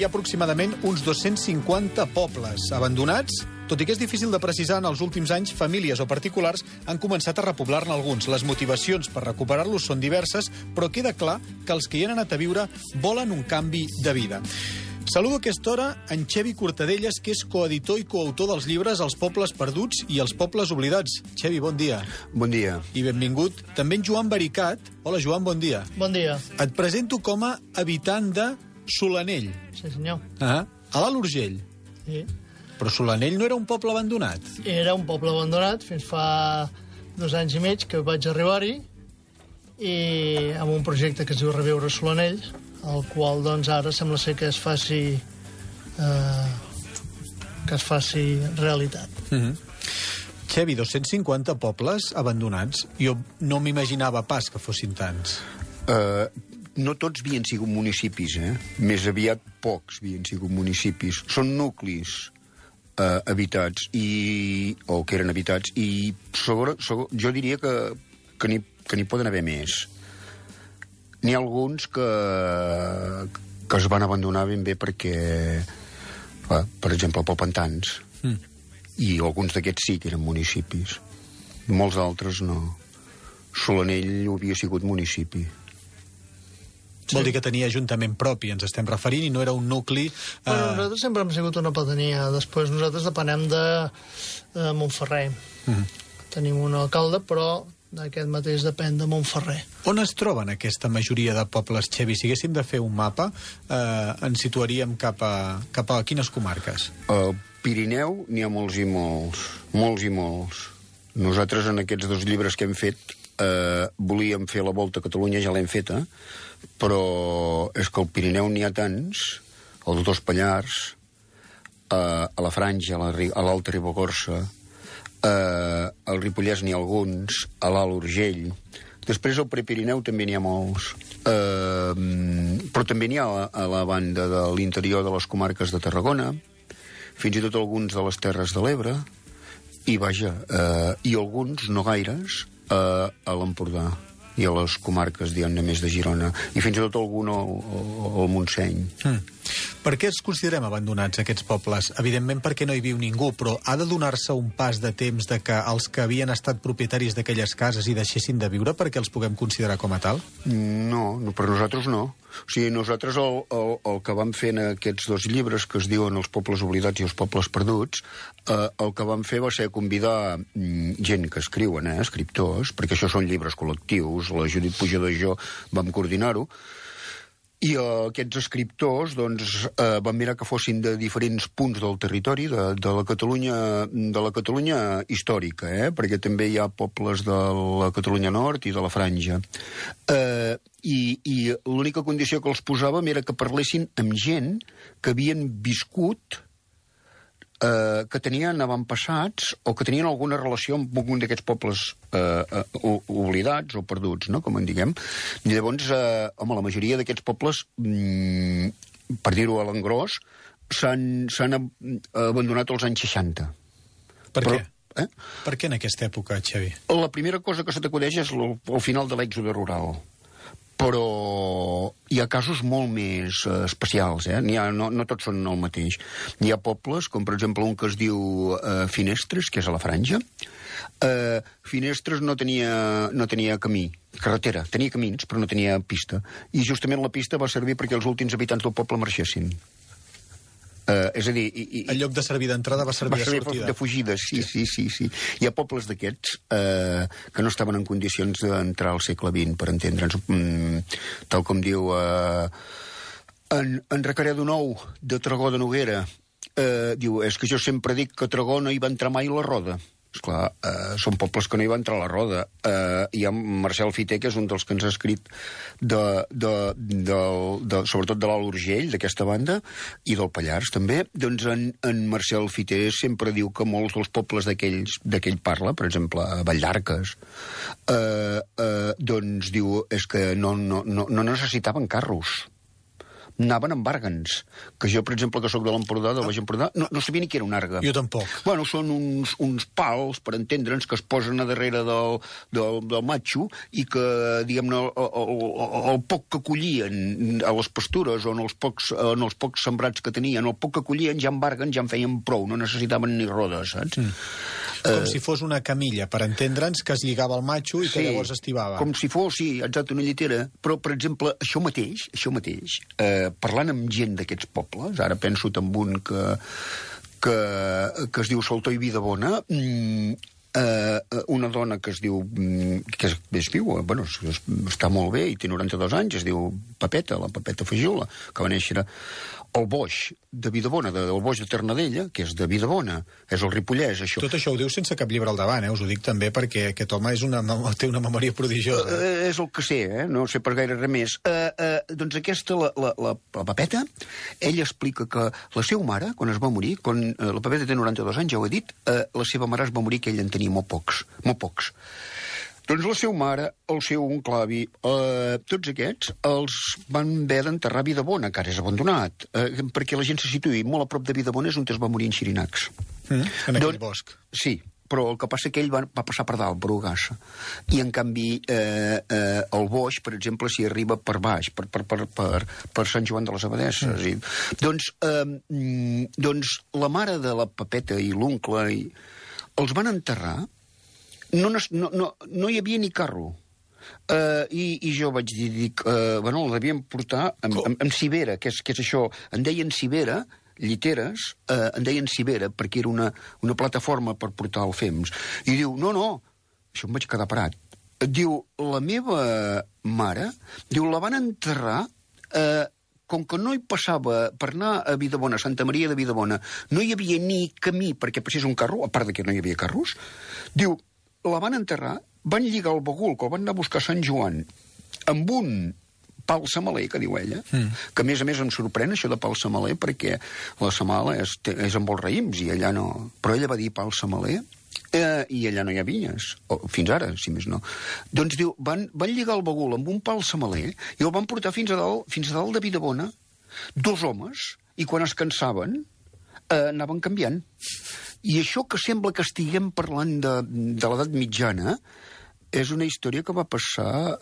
ha aproximadament uns 250 pobles abandonats. Tot i que és difícil de precisar, en els últims anys, famílies o particulars han començat a repoblar-ne alguns. Les motivacions per recuperar-los són diverses, però queda clar que els que hi han anat a viure volen un canvi de vida. Saludo a aquesta hora en Xevi Cortadellas, que és coeditor i coautor dels llibres Els pobles perduts i Els pobles oblidats. Xevi, bon dia. Bon dia. I benvingut. També en Joan Baricat. Hola, Joan, bon dia. Bon dia. Et presento com a habitant de Solanell. Sí, senyor. A l'Alt Urgell. Sí. Però Solanell no era un poble abandonat? Era un poble abandonat fins fa 2 anys i mig que vaig arribar-hi i amb un projecte que es diu Reviure Solanell, el qual doncs ara sembla ser que es faci realitat. Xevi, 250 pobles abandonats. Jo no m'imaginava pas que fossin tants. No tots havien sigut municipis, Més aviat pocs havien sigut municipis. Són nuclis habitats, o que eren habitats, i jo diria que n'hi poden haver més. N'hi ha alguns que es van abandonar ben bé perquè, per exemple, Popentans. I alguns d'aquests sí que eren municipis. Molts d'altres no. Solanell havia sigut municipi. Sí. Vol dir que tenia ajuntament propi, ens estem referint, i no era un nucli... Bueno, nosaltres sempre hem sigut una pedania. Després nosaltres depenem de Montferrer. Tenim un alcalde, però aquest mateix depèn de Montferrer. On es troben aquesta majoria de pobles, Xevi? Si haguéssim de fer un mapa, ens situaríem cap a quines comarques? Al Pirineu n'hi ha molts i molts. Molts i molts. Nosaltres en aquests 2 llibres que hem fet volíem fer la volta a Catalunya, ja l'hem feta, però és que al Pirineu n'hi ha tants, als 2 Pallars, a la Franja, a l'Alta Ribagorça, al Ripollès n'hi ha alguns, a l'Alt Urgell. Després al Prepirineu també n'hi ha molts. Però també n'hi ha a la banda de l'interior de les comarques de Tarragona, fins i tot alguns de les Terres de l'Ebre, i vaja, i alguns, no gaires, a l'Empordà i a les comarques, diguem-ne, més de Girona, i fins i tot algun al Montseny. Per què els considerem abandonats, aquests pobles? Evidentment perquè no hi viu ningú, però ha de donar-se un pas de temps de que els que havien estat propietaris d'aquelles cases hi deixessin de viure perquè els puguem considerar com a tal? No, per nosaltres no. O sigui, nosaltres el que vam fer en aquests 2 llibres que es diuen Els pobles oblidats i Els pobles perduts, el que vam fer va ser convidar gent que escriuen, escriptors, perquè això són llibres col·lectius, la Judit Pujador i jo vam coordinar-ho, i aquests escriptors doncs, van mirar que fossin de diferents punts del territori de la Catalunya històrica, perquè també hi ha pobles de la Catalunya Nord i de la Franja. I l'única condició que els posàvem era que parlessin amb gent que havien viscut, que tenien avantpassats o que tenien alguna relació amb un d'aquests pobles oblidats o perduts, no?, com en diguem. I llavors, la majoria d'aquests pobles, per dir-ho a l'engròs, s'han abandonat als anys 60. Per què? Per què en aquesta època, Xevi? La primera cosa que se t'acudeix és el final de l'èxode rural. Però hi ha casos molt més especials, no tots són el mateix. Hi ha pobles, com per exemple un que es diu Finestres, que és a la Franja. Finestres no tenia camí, carretera, tenia camins, però no tenia pista. I justament la pista va servir perquè els últims habitants del poble marxessin. És a dir... En lloc de servir d'entrada va servir de sortida. De fugida, sí. Hi ha pobles d'aquests que no estaven en condicions d'entrar al segle XX, per entendre'ns. Tal com diu en Recaredo Nou, de Tragó de Noguera, diu, és que jo sempre dic que a Tragó no hi va entrar mai la roda. Esclar, són pobles que no hi va entrar la roda. Hi ha Marcel Fiter, que és un dels que ens ha escrit sobretot de l'Alt Urgell, d'aquesta banda, i del Pallars també. Doncs en Marcel Fiter sempre diu que molts dels pobles d'aquell parla, per exemple, a Valldarques, doncs diu, és que no necessitaven carros anaven amb àrgans. Que jo, per exemple, que sóc de l'Empordà, del Baix Empordà, no sabia ni què era un àrga. Jo tampoc. Bueno, són uns pals, per entendre'ns, que es posen a darrere del matxo i que, diguem-ne, el poc que collien a les pastures o en els pocs sembrats que tenien, el poc que collien ja amb àrgans ja en feien prou, no necessitaven ni rodes, saps? Com si fos una camilla, per entendre'ns, que es lligava al matxo i que llavors estibava. Com si fos, sí, exacte, una llitera. Però, per exemple, això mateix, parlant amb gent d'aquests pobles, ara penso en un que es diu Saltor i Vidabona, una dona que es diu, que és viu, bueno, està molt bé i té 92 anys, es diu Pepeta, la Pepeta Fagiola, que va néixer al Boix de Vidabona, del Boix de Ternadella, que és de Vidabona, és el Ripollès, això. Tot això ho diu sense cap llibre al davant, us ho dic també perquè aquest home té una memòria prodigiosa. És el que sé, no sé per gaire res més. Doncs aquesta, la Pepeta, ella explica que la seva mare, quan es va morir, quan la Pepeta té 92 anys, ja ho he dit, la seva mare es va morir que ell en tenia molt pocs. Doncs la seva mare, el seu oncle avi, tots aquests els van haver d'enterrar a Vidabona, que ara és abandonat, perquè la gent se situï molt a prop de Vidabona, és on es va morir en Xirinacs. En aquell bosc. Sí, però el que passa que ell va passar per dalt, per Ugassa. I, en canvi, el Boix, per exemple, s'hi arriba per baix, per Sant Joan de les Abadesses. Doncs la mare de la Pepeta i l'oncle els van enterrar. No hi havia ni carro. I jo vaig dir, bueno, el devien portar amb cibera, que és això. En deien cibera, lliteres, en deien cibera, perquè era una plataforma per portar el fems. I diu, no, això em vaig quedar parat. Diu, la meva mare, diu, la van enterrar... com que no hi passava per anar a Vidabona, a Santa Maria de Vidabona, no hi havia ni camí perquè passés un carro, a part que no hi havia carros, diu, la van enterrar, van lligar el bagul, que el van anar a buscar a Sant Joan, amb un pal semaler, que diu ella, que a més em sorprèn això de pal semaler, perquè la semala és amb els raïms, i ella no... Però ella va dir pal semaler, i allà no hi ha vinyes, fins ara, si més no. Doncs diu, van lligar el bagul amb un pal semaler i el van portar fins a dalt de Vidabona, 2 homes, i quan es cansaven anaven canviant. I això que sembla que estiguem parlant de l'edat mitjana és una història que va passar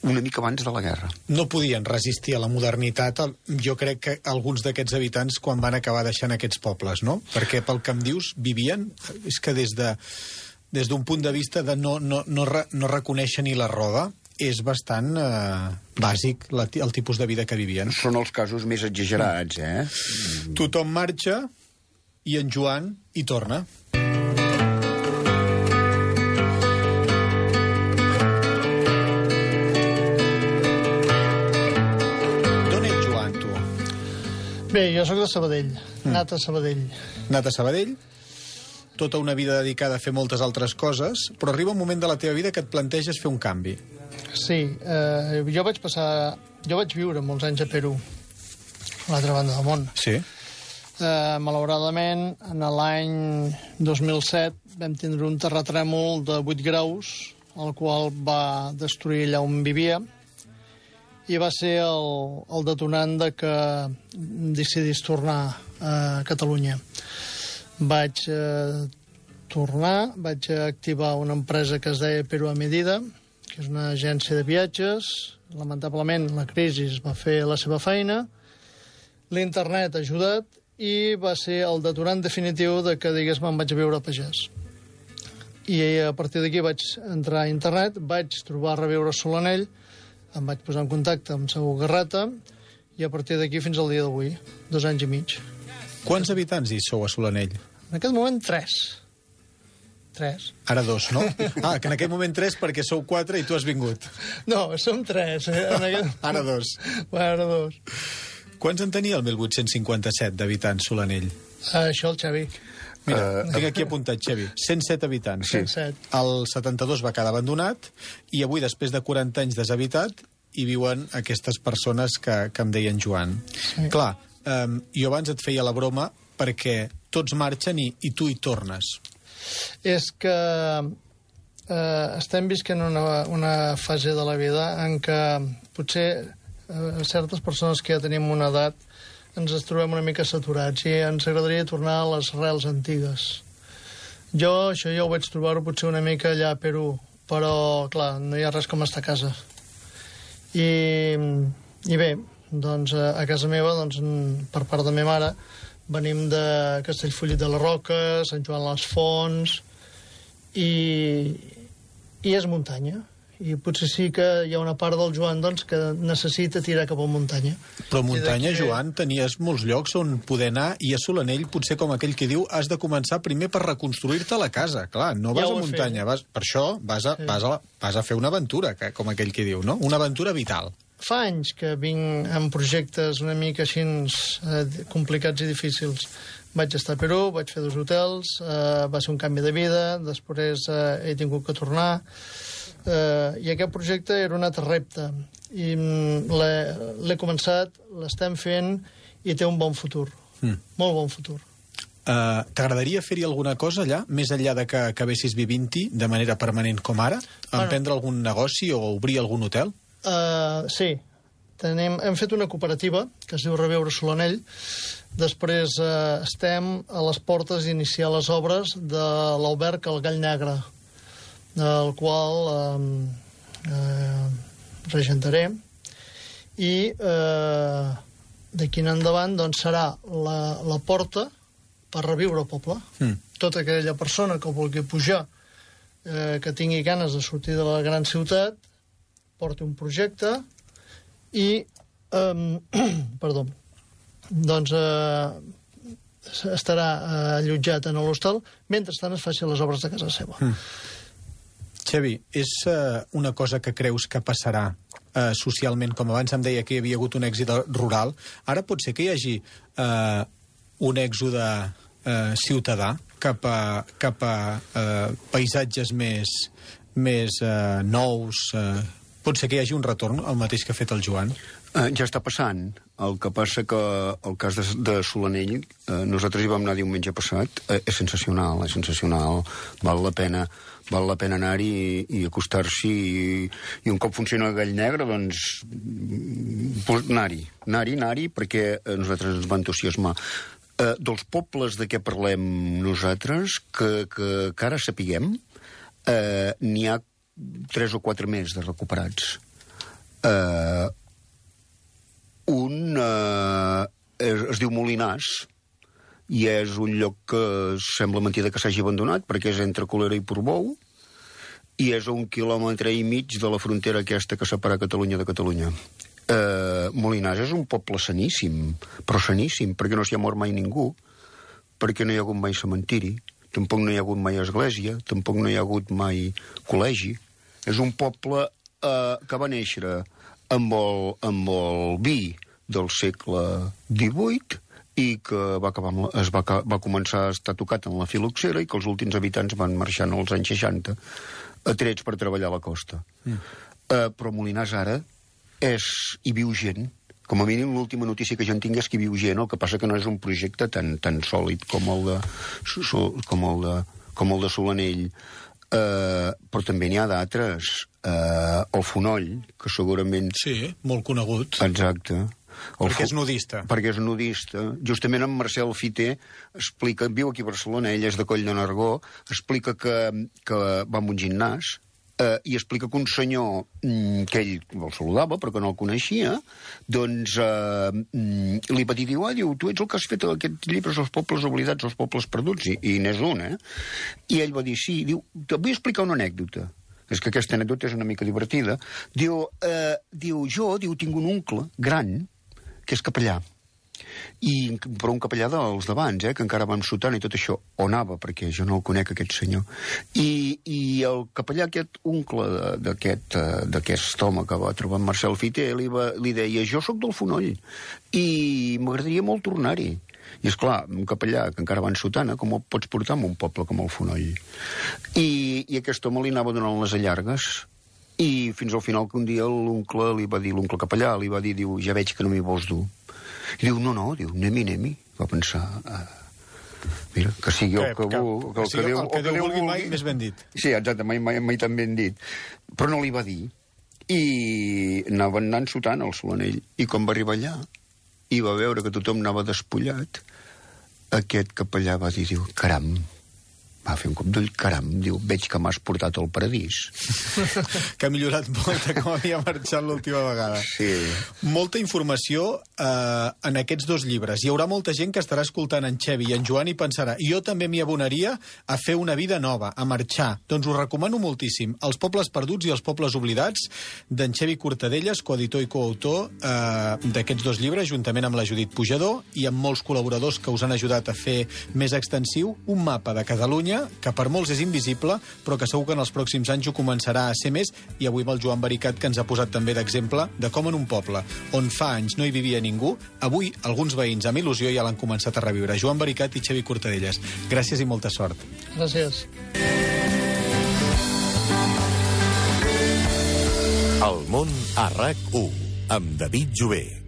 una mica abans de la guerra. No podien resistir a la modernitat, jo crec que alguns d'aquests habitants quan van acabar deixant aquests pobles, no? Perquè pel que em dius, vivien, és que des d'un punt de vista de no reconèixer ni la roda, és bastant bàsic el tipus de vida que vivien. Són els casos més exagerats, Tothom marxa i en Joan hi torna. Bé, jo sóc de Sabadell, nat a Sabadell. Nat a Sabadell, tota una vida dedicada a fer moltes altres coses, però arriba un moment de la teva vida que et planteges fer un canvi. Sí, jo vaig viure molts anys a Perú, a l'altra banda del món. Sí. Malauradament, en l'any 2007 vam tindre un terratrèmol de 8 graus, el qual va destruir allà on vivia, i va ser el detonant de que decidís tornar a Catalunya. Vaig tornar, vaig activar una empresa que es deia Perú a Medida, que és una agència de viatges. Lamentablement, la crisi va fer la seva feina, l'internet ha ajudat i va ser el detonant definitiu de que, digués-me, em vaig a viure a pagès. I a partir d'aquí vaig entrar a internet, vaig trobar Reviure Solanell, em vaig posar en contacte amb Segur Garreta i a partir d'aquí fins al dia d'avui, 2 anys i mig. Quants habitants hi sou a Solanell? En aquest moment, 3. Ara 2, no? Que en aquest moment 3 perquè sou 4 i tu has vingut. No, som 3. Ara 2. Ara 2. Quants en tenia el 1857 d'habitants Solanell? Això el Xavi. Mira, tinc aquí apuntat, Xavi. 107 habitants. 107. El 72 va quedar abandonat i avui, després de 40 anys deshabitat, hi viuen aquestes persones que em deien Joan. Sí. Clar, jo abans et feia la broma perquè tots marxen i tu hi tornes. És que estem visquent una fase de la vida en què potser certes persones que ja tenim una edat ens trobem una mica saturats i ens agradaria tornar a les arrels antigues. Això ja ho vaig trobar-ho potser una mica allà a Perú, però, clar, no hi ha res com estar a casa. I bé, doncs, a casa meva, doncs, per part de meva mare, venim de Castellfollit de la Roca, Sant Joan les Fonts, i és muntanya. I potser sí que hi ha una part del Joan doncs, que necessita tirar cap a muntanya. Però muntanya, Joan, tenies molts llocs on poder anar, i a Solanell, potser com aquell que diu, has de començar primer per reconstruir-te la casa. Clar, no vas a muntanya, per això vas a fer una aventura, com aquell que diu, no? Una aventura vital. Fa anys que vinc amb projectes una mica així complicats i difícils. Vaig estar a Perú, vaig fer 2 hotels, va ser un canvi de vida, després he tingut que tornar, i aquest projecte era un altre repte. I l'he començat, l'estem fent i té un bon futur, molt bon futur. T'agradaria fer-hi alguna cosa allà, més enllà de que acabessis vivint-hi de manera permanent com ara? Emprendre algun negoci o obrir algun hotel? Sí, hem fet una cooperativa que es diu Reviure Solanell. Després estem a les portes d'iniciar les obres de l'alberg El Gall Negre, el qual regentaré, i d'aquí en endavant doncs, serà la porta per reviure el poble. Tota aquella persona que vulgui pujar, que tingui ganes de sortir de la gran ciutat, porti un projecte i doncs estarà allotjat en l'hostal mentrestant es faci les obres de casa seva. Xavi, és una cosa que creus que passarà socialment? Com abans em deia que hi havia hagut un èxit rural, ara pot ser que hi hagi un èxode ciutadà cap a paisatges més nous. Pot ser que hi hagi un retorn, el mateix que ha fet el Joan? Ja està passant. El que passa que el cas de Solanell, nosaltres hi vam anar diumenge passat, és sensacional, val la pena anar-hi i acostar-s'hi, i un cop funciona el Gall Negre, doncs anar-hi, perquè a nosaltres ens va entusiasmar. Dels pobles de què parlem nosaltres, que ara sapiguem, n'hi ha 3 o 4 més de recuperats. Un es diu Molinàs, i és un lloc que sembla mentida que s'hagi abandonat, perquè és entre Colera i Portbou, i és a 1,5 quilòmetres de la frontera aquesta que separa Catalunya de Catalunya. Molinàs és un poble saníssim, però saníssim, perquè no s'hi ha mort mai ningú, perquè no hi ha hagut mai cementiri, tampoc no hi ha hagut mai església, tampoc no hi ha hagut mai col·legi. És un poble que va néixer amb el vi del segle XVIII i que va començar a estar tocat en la filoxera i que els últims habitants van marxar als anys 60 atrets per treballar a la costa. Però Molinàs ara hi viu gent. Com a mínim l'última notícia que jo en tinc és que hi viu gent, el que passa que no és un projecte tan sòlid com el de Solanell. Però també n'hi ha d'altres. El Fonoll, que segurament... Sí, molt conegut. Exacte. Perquè és nudista. Perquè és nudista. Justament en Marcel Fiter explica, viu aquí a Barcelona, ell és de Coll de Nargó, explica que va a un gimnàs i explica que un senyor que ell el saludava però que no el coneixia, doncs li va dir, diu, tu ets el que has fet aquests llibres, Els pobles oblidats, Els pobles perduts, i n'és un, I ell va dir, sí, diu, te vull explicar una anècdota. És que aquesta anècdota és una mica divertida. Diu, jo tinc un oncle gran que és capellà, però un capellà dels d'abans, que encara va amb sotana i tot això, o anava, perquè jo no el conec, aquest senyor. I el capellà, aquest oncle d'aquest home que va trobar en Marcel Fiter, li deia, jo sóc del Fonoll i m'agradaria molt tornar-hi. I esclar, un capellà que encara va en sotana, com el pots portar en un poble com el Fonoll? I aquest home li anava donant les allargues, i fins al final que un dia l'oncle capellà li va dir, diu, ja veig que no m'hi vols dur. I diu, no, diu, anem-hi. Va pensar, mira, que sigui el que Déu vulgui mai més ben dit. Sí, exacte, mai tan ben dit. Però no li va dir. I anaven anant sotant al Solanell. I quan va arribar allà i va veure que tothom anava despullat, aquest capellà va dir, diu, caram, va fer un cop d'ull, caram, diu, veig que m'has portat al paradís. Que ha millorat molt de com havia marxat l'última vegada. Sí. Molta informació en aquests 2 llibres. Hi haurà molta gent que estarà escoltant en Xevi i en Joan i pensarà, jo també m'hi abonaria a fer una vida nova, a marxar. Doncs us recomano moltíssim Els pobles perduts i Els pobles oblidats, d'en Xevi Cortadellas, coeditor i coautor d'aquests 2 llibres, juntament amb la Judit Pujador i amb molts col·laboradors que us han ajudat a fer més extensiu un mapa de Catalunya que per molts és invisible, però que segur que en els pròxims anys ho començarà a ser més, i avui amb el Joan Vericat, que ens ha posat també d'exemple de com en un poble on fa anys no hi vivia ningú, avui alguns veïns amb il·lusió ja l'han començat a reviure. Joan Vericat i Xevi Cortadellas, gràcies i molta sort. Gràcies. El món a RAC1, amb David Jové.